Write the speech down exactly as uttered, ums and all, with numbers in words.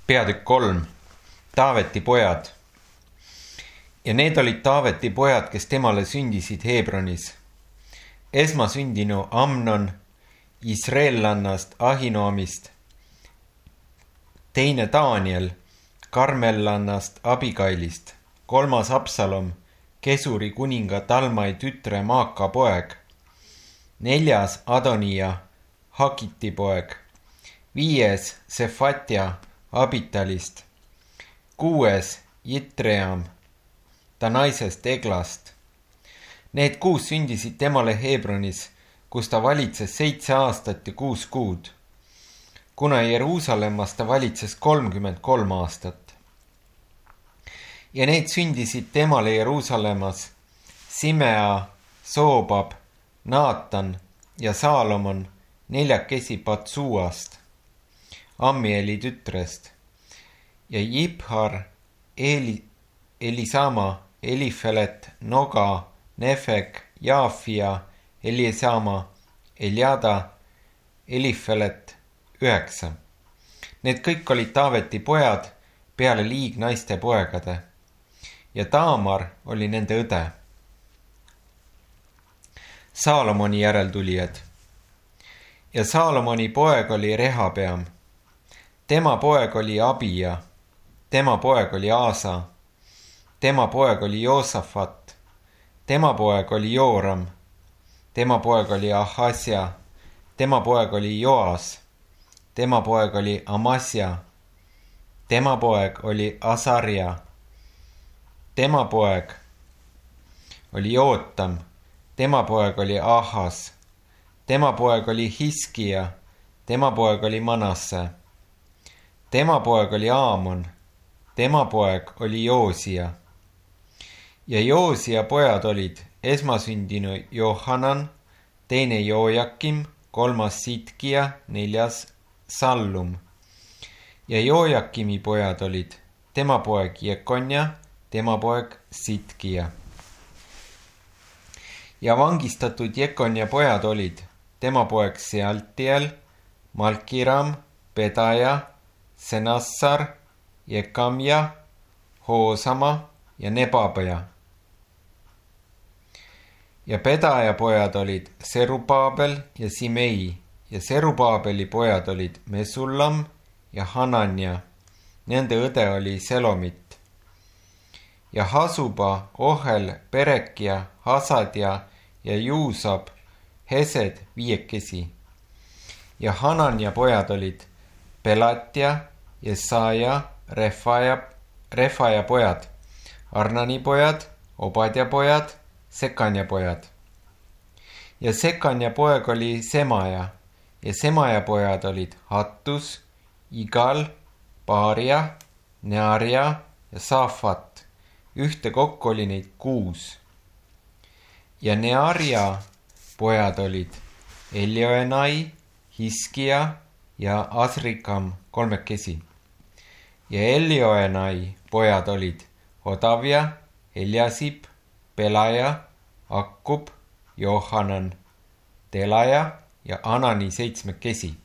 Peatükk kolm. Taaveti pojad. Ja need olid Taaveti pojad, kes temale sündisid Hebronis. Esmasündinu Amnon Israellannast Ahinoamist, teine Daniel Karmellannast Abigailist, kolmas Absalom Kesuri kuninga Talmai tütre Maaka poeg, neljas Adonia Hagiti poeg, viies Sefatia Abitalist, kuues Jitream ta naisest Eglast. Need kuus sündisid temale Hebronis, kus ta valitses seitse aastat ja kuus kuud, kuna Jeruusalemmas ta valitses kolmkümmend kolm aastat. Ja need sündisid temale Jeruusalemmas Simea, Soobab, Naatan ja Saalomon neljakesi Patsuast, Ammieli tütrest, ja Jibhar, Eli, Elisama, Elifelet, Noga, Nefek, Jaafia, Eliesama, Eliada, Elifelet, üheksa. Need kõik olid Taaveti pojad peale liignaiste poegade ja Taamar oli nende õde. Saalomoni järeltulijad. Ja Saalomoni poeg oli Rehabeam. Tema poeg oli Abia. Tema poeg oli Aasa. Tema poeg oli Joosafat. Tema poeg oli Jooram. Tema poeg oli Ahasja. Tema poeg oli Joas. Tema poeg oli Amasja. Tema poeg oli Asarja. Tema poeg oli Jootam. Tema poeg oli Ahas. Tema poeg oli Hiskia. Tema poeg oli Manasse. Tema poeg oli Aamon. Tema poeg oli Joosia. Ja Joosia pojad olid esmasündinu Johanan, teine Joojakim, kolmas Sitkia, neljas Sallum. Ja Joojakimi pojad olid tema poeg Jekonja, tema poeg Sitkia. Ja vangistatud Jekonja pojad olid tema poeg Sealtiel, Malkiram, Pedaja, Senassar, Jekamja, Hoosama ja Nebabaja. Ja Pedaja pojad olid Serubaabel ja Simei ja Serubaabeli pojad olid Mesullam ja Hananja. Nende õde oli Selomit. Ja Hasuba, Ohel, Perekia, Hasadja ja Juusab, Hesed viiekesi. Ja Hananja pojad olid Pelatja, Jesaja, Refaja, Refaja pojad, Arnani pojad, Obadja pojad, Sekanja pojad. Ja Sekanja poeg oli Semaja ja Semaja pojad olid Hattus, Igal, Baaria, Nearia ja Saafat. Ühte kokku oli neid kuus. Ja Nearia pojad olid Elioenai, Hiskia ja Asrikam kolmekesi. Ja Elioenai pojad olid Odavia, Eliasib, Pelaja, Akkub, Johanan, Telaja ja Anani seitsmekesi.